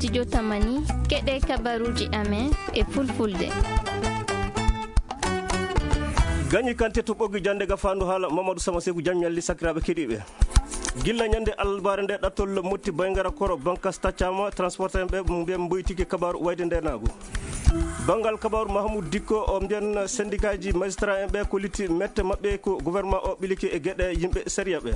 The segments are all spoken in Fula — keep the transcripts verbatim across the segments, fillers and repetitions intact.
Studio Tamani, keɗe kabaruuji amen e fulfulde. Gañi Kante to ɓoggi jannde ga faandu haala Mamadou Sama Seku, jam ñalli sakiraaɓe keɗiiɓe. Gilla ñande alarbaare nde, ɗattol Motti Baygara Koro Bankas taccama, transporteur ɓe mbiyen mboytiki kabaaru wayde ndeenaagu. Banngal kabaaru Mahamoud Dikko o mbiyen syndicat ji magistrat en ɓe kolliti mette maɓɓe ko gouvernement o ɓiliki e geɗe yimɓe sariya ɓe.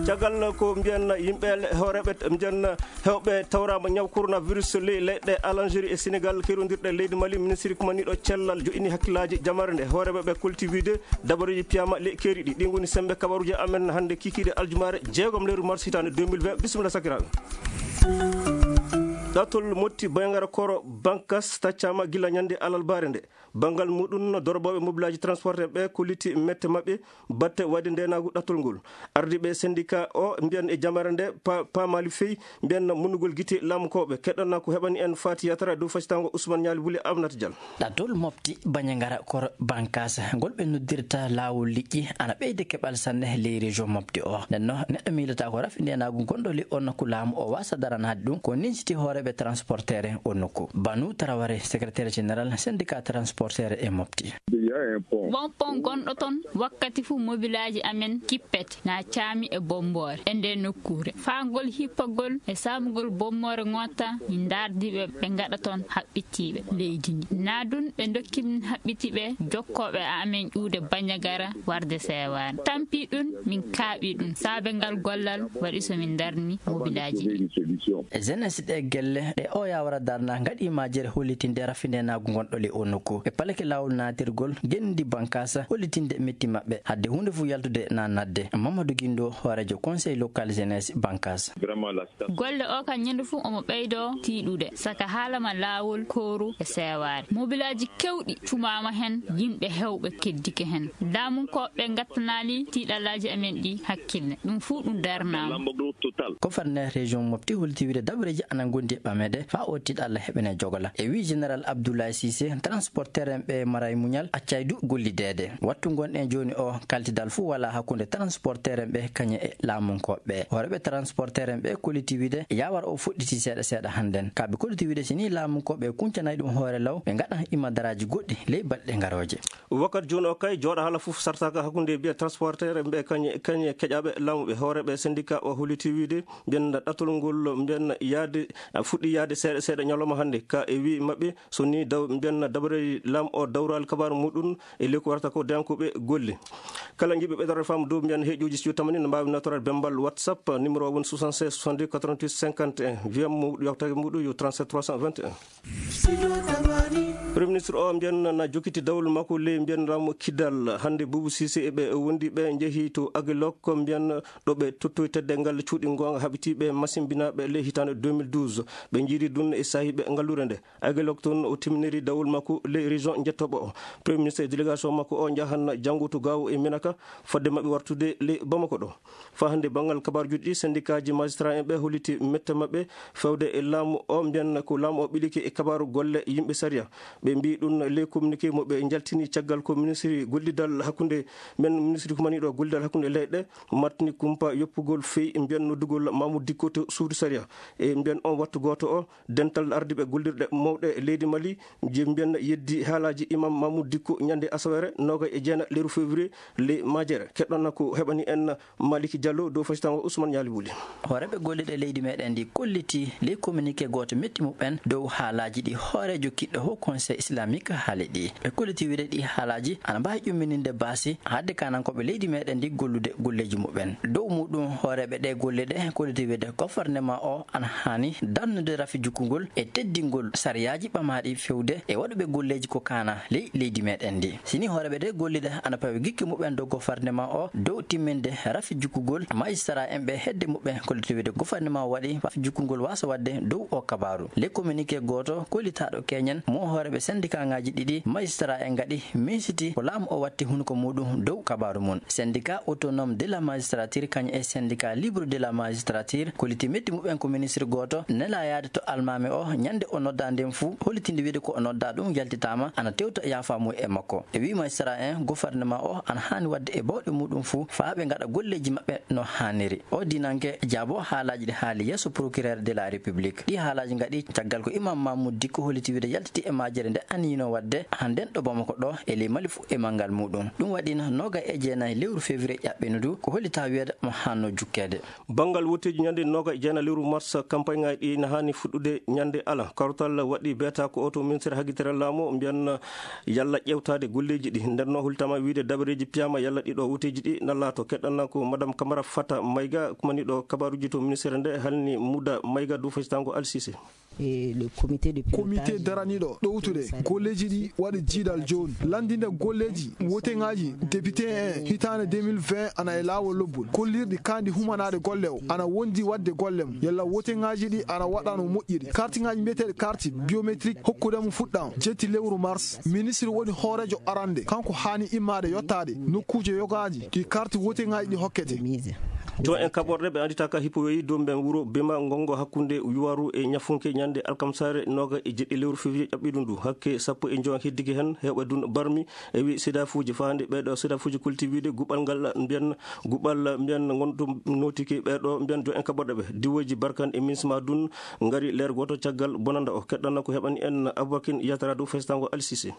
Caggal ko mbiyen yimɓe le-, hooreeɓe mbiyen hewɓe tawraama ñaw coronavirus ley leyɗe Algérie e Sénégal kerondirɗe leydi Mali, ministre kumaniiɗo cellal joƴini hakkillaaji jamare nde. Hooreeɓe ɓe kolti wiide dabareeji piyama ley keeri ɗi. Ɗi ngoni sembe kabaruuji amen hannde kikiiɗe aljumaare jeegom lewru mars hitaande deux mille vingt. Bisimilla sakiraaɓe. Ɗattol Motti Baygara Koro Bankas taccama gilla ñande alarbaare nde. Banngal muɗum, dorobooɓe mobilaaji transporteur ɓe kolliti mette maɓɓe batte wayde ndeenaagu ɗattol ngol. Ardiiɓe syndicat o mbiyen e jamare nde pa-, paamaali fey mbiyen munnugol gite laamu kooɓe. Keɗɗon ko heɓani en Fati Yatara dow facitango Ousmane Ñaali Buli Aminata Dial. Ɗattol Mopti Bañangara Koro Bankas ngol ɓe noddirta laawol liƴƴi ana ɓeyde keɓal sanne ley région Mopti o. Nden no neɗɗo miilata ko rafi ndeenaagu gonɗo ley on nokku laamu o waasa daranaade ɗum ko ninsiti hooreeɓe transporteur o nokku. Banu Taraware, secrétaire général syndicat transporteur e Mopti. Won pon gonɗo ton, wakkati fuu mobilaaji amen kippete na caami e bommoore e nde nokkuure. Faa ngol hippagol e saamugol bommoore ŋoota, min ndaardi ɓe, ɓe ngaɗa ton haɓɓitiiɓe leydi ndi. Na ɗum ɓe ndokki min haɓɓitiiɓe jokkooɓe amen ƴuude Bañagara warde Seewaani. Tampi ɗum min kaaɓi ɗum. Saabe ngal gollal waɗi so min ndarni mobilaaji ɗi. E jeunesse ɗe gelle ɗe o yawara darna ngaɗi majere hollitinde rafi ndeenaagu gonɗo ley o nokku. E palake laawol naatirgol genndi Bankas hollitinde metti maɓɓe. Hadde huunde fuu yaltude na nadde. Mamadou Guindo, hooreejo conseil local jeunesse Bankas. Golle o kan ñande fuu omo ɓeydo tiiɗude. Saka haalama laawol kooru e seewaare. Mobilaaji kewɗi cumaama hen, yimɓe hewɓe keddike hen. Laamunkooɓe ngattanaali tiiɗallaaji amen ɗi hakkille. Ɗum fuu ɗum darnaama. Gouverneur région Mopti holliti wiide dabareeji ana ngondi e ɓameede faa o tiiɗalla heɓene jogola. E wii général Abdoulaye Cissé, transporteur en ɓe maray muñal, accay du gollideede. Wattu ngonɗen jooni o, kaltidal fuu walaa hakkunde transporteur en ɓe kañe e laamunkooɓe ɓe. Hooreeɓe transporteur en ɓe kolliti wiide yawar o fuɗɗiti seeɗa seeɗa hannden. Ka ɓe kolliti wiide si nii laamunkooɓe kuncanay ɗum hoore law, ɓe ngaɗan imadaraaji goɗɗi ley balɗe ngarooje. Wakkati jooni o kay, jooɗa hala fof sartaka hakkunde mbiya transporteur mbiya kañe, kañe keƴaaɓe laamu ɓe. Hooreeɓe syndicat o holliti wiide mbiyen ɗattol ngol mbiyen yaade, a fuɗɗi yaade seeɗa seeɗa ñalawma hannde. Ka e wii maɓɓe, so ni daw mbiyen dabareeji laamu o dawraali kabaaru muɗum e ley ko warata ko dañankooɓe golle. Kala njiɗɓe ɓeydaade faamu dow mbiyen heeƴooji studio tamani no mbaawi nawtoraade bemmbal WhatsApp, numéro o woni soixante-seize soixante-deux quatre-vingt-huit cinquante et un. Wiyam mo yewtaaki muɗum yo trente-sept trois cent vingt et un. Premier ministre o mbiyen na jokkiti dawol makko ley mbiyen laamu Kidal. Hannde Boubou Cissé e ɓe wondi ɓe njehi to Aguelhok mbiyen ɗo ɓe tottoyi teddeengal cuuɗi goonga haɓitiiɓe masimbinaaɓe ley hitaande deux mille douze. Ɓe njiiri ɗum e saahiiɓe ngalluure nde. Aguelhok toon o timminiri dawol makko ley région njettooɓo o. Premier ministre e délégation makko o njahan janngo to Gao e Menaka fodde maɓɓe wartude ley Bamako ɗo. Faa hannde banngal kabaaruuji ɗi, syndicat ji magistrat en ɓe holliti mette maɓɓe fewde e laamu o, mbiyan ko laamu o ɓilike e kabaaru golle yimɓe sariya. Ɓe mbii ɗum ley communiqué mo ɓe njaltini caggal ko ministre gollidal hakkunde men, ministre kumaniiɗo gollidal hakkunde leyɗe, martini kumpa yoppugol fey mbiyan noddugol Mamoudou Dicko to suudu sariya. E mbiyan on wattu gooto o, dental ardiiɓe gollirɗe mawɗe leydi Mali, je mbiyan yeddi haalaaji imam Mamoudou Dicko ñande asaweere noogay e jeenayi lewru février ley majere. Keɗɗon ko heɓani en Maliki Diallo dow facitango Ousmane Ñaali Wuli. Hooreeɓe gollirɗe leydi meɗen ndi kolliti ley communiqué gooto metti muɓɓen dow haalaaji ɗi hooreejo kiɗɗo Haut Conseil Islamique haali ɗi. Ɓe kolliti wiide ɗi haalaaji ana mbaawi ƴummininde baasi haɗde kanankooɓe leydi meɗen ndi gollude golleeji muɓɓen. Dow muɗum hooreeɓe ɗe golle ɗe kolliti wiide gouvernement o ana haani darnude rafi jukkungol e teddingol sariyaaji ɓamaaɗi fewde e waɗuɓe golleeji ko kaana ley leydi meɗen ndi. Sini hooreeɓe ɗe golliɗe ana pawi gikke muɓɓen dow gouvernement o dow timminde rafi jukkugol magistrat en ɓe hedde muɓɓen kolliti wiide gouvernement o waɗi rafi jukkugol waasa waɗde dow o kabaaru. Ley communiqué gooto kollitaaɗo keñen mo hooreeɓe syndicat ŋaaji ɗiɗi magistrat en ngaɗi miisiti ko laamu o watti hunuko muɗum dow kabaaru mum. Syndicat autonome de la magistrature kañum e syndicat libre de la magistrature kolliti metti muɓɓen ko ministre gooto nela yaade to almaami o ñande o nodda nden fuu hollitinde wiide ko o nodda ɗum yaltitaama ana tewta yaafa mum e makko. E wii magistrat en gouvernement o ana haani waɗde e bawɗe muɗum fuu faa ɓe ngaɗa golleeji maɓɓe no haaniri. O dinanke jaabo haalaaji ɗi haali yeeso procureur de la République. Ɗi haalaaji ngaɗi caggal ko Imam Mahmoud Dicko holliti wiide yaltiti e majjere nde anniyino waɗde hannden ɗo Bamako ɗo e ley Mali fuu e manngal muɗum. Ɗum waɗi noogaye e jeenayi lewru février ƴaɓɓindu ko hollitaa wiyeede mo haanno jukkeede. Banngal wotteeji ñande noogaye e jeenayi lewru mars, campagne ŋaaji ɗi na haani fuɗɗude ñande alarba. Kawtal waɗi beeta ko oto ministre haggitere laamu mbiyan yalla ƴeewtaade golleeji ɗi. Nden no hultama wiide dabareeji piyaama yalla ɗiɗo wotteeji ɗi na laato. Keɗɗanna ko Madame Camara Fata Mayga, kumaniɗo kabaruuji to ministre nde, halni Muda Mayga dow faystaango Alsise. E le comité de comité pilotage daraniiɗo ɗowtude golleeji ɗi waɗi jiidal jooni. Lanndinde golleeji woteŋaaji député en hitaande deux mille vingt ana e laawol lobbol. Kollirɗi kaandi humanaade golle o ana wondi waɗde golle mum. Yalla woteŋaaji ɗi ana waɗa no moƴƴiri. Kartiŋaaji mbiyeteeɗi carte biométrique hokkude mum fuɗɗaama jetti lewru mars. Ministre woni hooreejo arande. Kanko haani immaade yottaade nokkuuje yogaaji ɗi carte woteŋaaji ɗi hokkete. Mise. Joom en kaɓorɗe ɓe annditaaka hippo weyi dow mben wuro Bema Ngongo hakkunde Yuwaru e Ñafunke ñande alkamsaare noogaye e jeɗɗi lewru février ƴaɓɓiɗo ndu. Hakke sappo e joom heddike hen heewɓe dun barmi e wi sedafuuji. Faande ɓeeɗo sedafuuji kolti wiide guɓal ngal mbiyan guɓal mbiyan ngontum notiki ɓeeɗo mbiyan joom en kaɓorɗe ɓe. Diwoji Barkan e Minsma dun ngari leer gooto caggal bonanda o. Keɗɗanna ko heɓani en Aboubakin Yatara dow faystaango Alsise.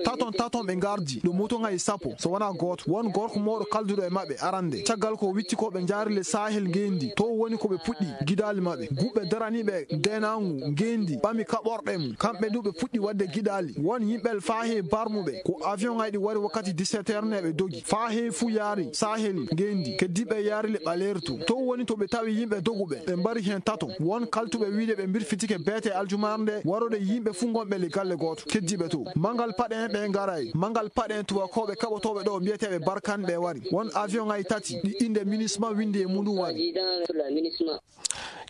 Taton taton ɓe ngardi ɗo moto ngaji sappo so wona gooto. Won gorko mawɗo kalduɗo e maɓɓe arande. Caggal ko witti ko ɓe njaari le Sahel ngendi. To woni ko ɓe puɗɗi gidaali maɓɓe. Guɓɓe daraniiɓe deenaangu ngendi ɓami kaɓorɗe mum. Kamɓe du ɓe puɗɗi waɗde gidaali. Won yimɓe faa he barmuɓe. Ko avion ngaji ɗi wari wakkati dix-sept heures nde ɓe dogi. Faa he fuu yaari Sahel ngendi. Keddiiɓe yaari le ɓaleeri to. To woni to ɓe tawi yimɓe doguɓe. Ɓe mbari heen tato. Won kaltuɓe wiide ɓe mbirfitike beete aljumaare nde warode yimɓe fuu ngonɓe le galle gooto. Keddiiɓe to. Manngal paɗe en ɓe ngaray. Manngal paɗe en tubakooɓe kaɓotooɓe ɗo mbiyeteeɓe Barkan ɓe wari. Won avion ngaji tati ɗi innde Minisma winndi e muɗum wari.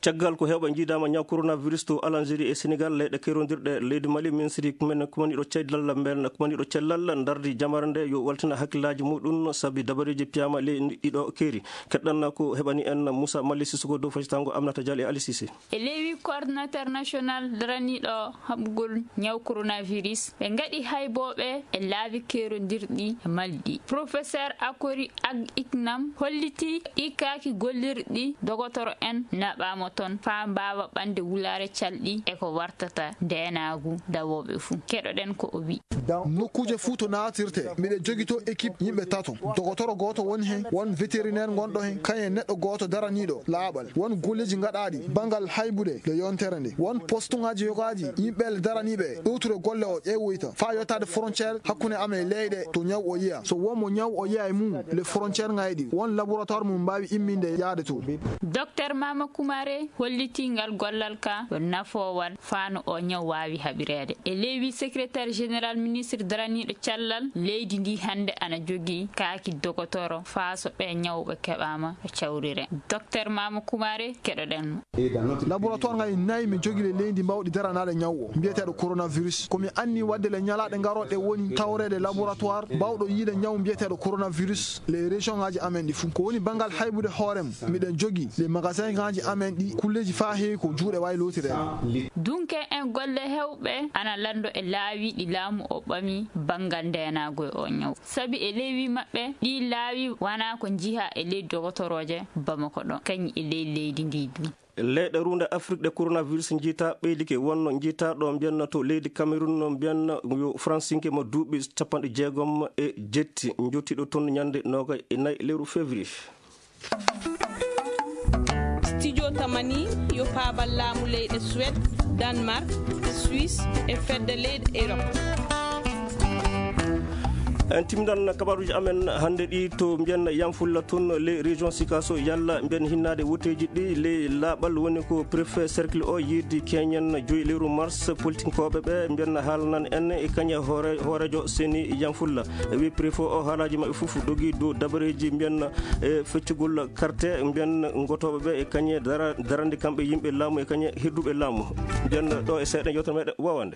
Caggal ko heewɓe njiidaama ñaw coronavirus to Algérie e Sénégal, leyɗe kerondirɗe leydi Mali, ministri kumen kumaniɗo cellal, mben kumaniɗo cellal ndardi jamare nde yo waltina hakkillaaji muɗum sabi dabareeji piyaama ley ɗiɗo keeri. Keɗɗanna ko heɓani en Moussa Mali Sissoko dow faystaango Aminata Diallo e Ali Cissé. E lewru coordinateur national daraniiɗo haɓugol ñaw coronavirus, ɓe ngaɗi haybooɓe e laabi kerondirɗi e Mali ɗi. Professeur Akori Ag Iknam holliti ɗi kaaki gollirɗi dogotoro en naɓaama toon faa mbaawa ɓande wulaare calɗi e ko wartata ndeenaagu dawooɓe fuu. Keɗoɗen ko o wi. Nokkuuje fuu to naatirte, miɗe jogitoo équipe yimɓe tato. Dogotoro gooto woni heen, won vétérinaire ngonɗo heen, kañum e neɗɗo gooto daraniiɗo laaɓal. Won golleeji ngaɗaaɗi banngal haybude nde yontere nde. Won postuŋaaji yogaaji yimɓe daraniiɓe ɗowtude golle o ƴeewoyta faa yottaade frontière hakkunde amen e leyɗe to ñaw o yiya. So won mo ñaw o yiya e mum, le frontière ŋayɗi, won laboratoire mum mbaawi imminde yaade to. Docteur Mama Kumare hollitii ngal gollal ka yo nafoowal faa no o ñaw waawi haɓireede. E lewru secrétaire général ministre daraniiɗo cellal leydi ndi hannde ana jogii kaaki dogotoro faa so ɓe ñawɓe keɓaama ɓe cawrire. Docteur Mama Kumare, keɗoɗen mo. Laboratoire ngaji nayi mi jogii le leydi mbawɗi daranaade ñaw o mbiyeteeɗo coronavirus. Ko mi anni waɗde le ñalaaɗe ngarooɗe woni tawreede laboratoire mbawɗo yiide ñaw mbiyeteeɗo coronavirus le région ngaji amen ɗi fuu. Ko woni banngal haybude hoore mum, miɗen jogii le magasin ngaji amen ɗi kulleeji faa heewi ko juuɗe waawi lootireede. Dunke en golle heewɓe ana lanndo e laawi ɗi laamu o ɓami banngal ndeenaagu e o ñaw. Sabi e lewru maɓɓe, ɗii laawi wanaa ko njiha e ley dogotorooje Bamako ɗo, kañum e ley leydi ndi du. Leyɗe ruunde Afrik ɗe coronavirus njiita ɓeydike, wonno njiita ɗo mbiyanna to leydi Cameroun, no mbiyanna yo Fransinke mo duuɓi capanɗe jeegom e jetti, njottiiɗo toon ñande noogaye e nayi lewru février. Studio Tamani yo paabal laamu leyɗe Suède, Danemark, Suisse e fedde leyɗe Europe. En timminan kabaruuji amen hannde ɗi to mbiyen Yamfulla toon, les régions Sikaso, yalla mbiyen hinnaade woteeji ɗi ley laaɓal, woni ko préfet cercle o yiidi keñen joyi lewru mars, politinkooɓe ɓe mbiyen haalnan en e kañe hoore-, hooreejo seni Yamfulla. E wi préfet o haalaaji maɓɓe fof dogi dow dabareeji mbiyen e feccugol carte mbiyen ngotooɓe ɓe e kañe dara-, darande kamɓe yimɓe laamu e kañe hedduɓe laamu. Mbiyen ɗo e seeɗa yewtere meɗen wawande.